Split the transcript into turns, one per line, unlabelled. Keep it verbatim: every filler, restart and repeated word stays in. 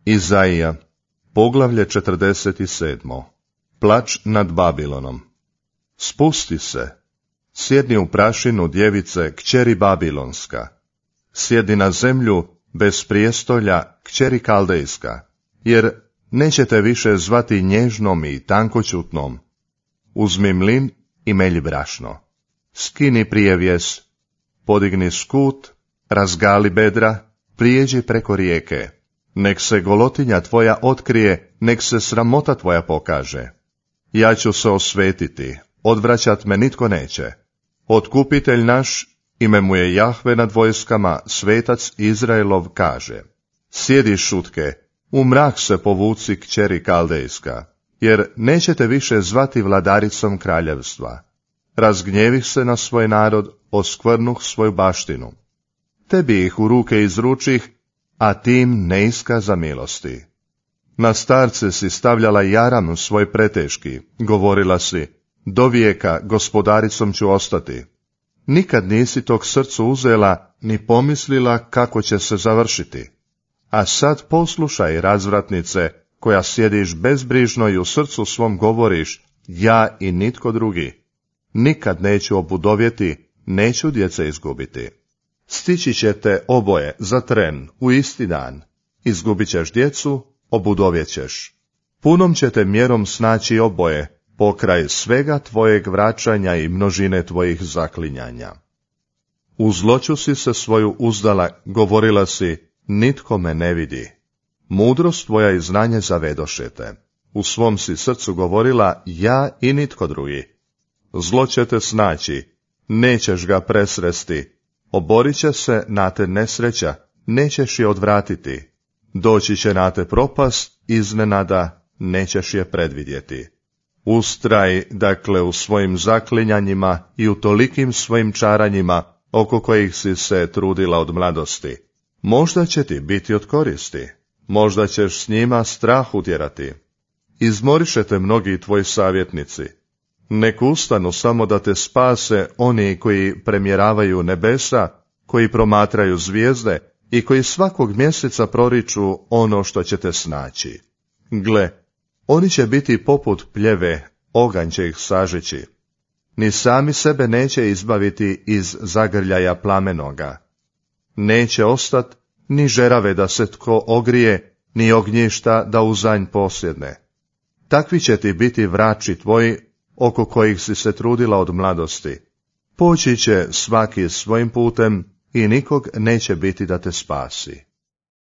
Izaija, poglavlje četrdeset sedam. Plač nad Babilonom. Spusti se, sjedni u prašinu djevice kćeri Babilonska. Sjedi na zemlju bez prijestolja kćeri Kaldejska, jer nećete više zvati nježnom i tankoćutnom. Uzmi mlin i melji brašno. Skini prijevjes, podigni skut, razgali bedra, prijeđi preko rijeke. Nek se golotinja tvoja otkrije, nek se sramota tvoja pokaže. Ja ću se osvetiti, odvraćat me nitko neće. Otkupitelj naš, ime mu je Jahve nad vojskama, svetac Izraelov, kaže: sjedi šutke, u mrak se povuci kćeri Kaldejska, jer nećete više zvati vladaricom kraljevstva. Razgnjevih se na svoj narod, oskvrnuh svoju baštinu. Tebi ih u ruke izručih, a tim ne iskaza milosti. Na starce si stavljala jaram svoj preteški, govorila si: do vijeka gospodaricom ću ostati. Nikad nisi tog srcu uzela, ni pomislila kako će se završiti. A sad poslušaj, razvratnice, koja sjediš bezbrižno i u srcu svom govoriš: ja i nitko drugi. Nikad neću obudovjeti, neću djece izgubiti. Stići ćete oboje za tren u isti dan. Izgubit ćeš djecu, obudovjećeš. Punom ćete mjerom snaći oboje, pokraj svega tvojeg vraćanja i množine tvojih zaklinjanja. U zloću si se svoju uzdala, govorila si: nitko me ne vidi. Mudrost tvoja i znanje zavedošete. U svom si srcu govorila: ja i nitko drugi. Zlo će te snaći, nećeš ga presresti. Oborit će se na te nesreća, nećeš je odvratiti. Doći će na te propast iznenada, nećeš je predvidjeti. Ustraj, dakle, u svojim zaklinjanjima i u tolikim svojim čaranjima, oko kojih si se trudila od mladosti. Možda će ti biti od koristi, možda ćeš s njima strah utjerati. Izmoriše te mnogi tvoji savjetnici. Nek ustanu samo da te spase oni koji premjeravaju nebesa, koji promatraju zvijezde i koji svakog mjeseca proriču ono što će te snaći. Gle, oni će biti poput pljeve, oganj će ih sažeći. Ni sami sebe neće izbaviti iz zagrljaja plamenoga. Neće ostat ni žerave da se tko ogrije, ni ognjišta da uzanj posjedne. Takvi će ti biti vrači tvoji, oko kojih si se trudila od mladosti. Poći će svaki svojim putem i nikog neće biti da te spasi.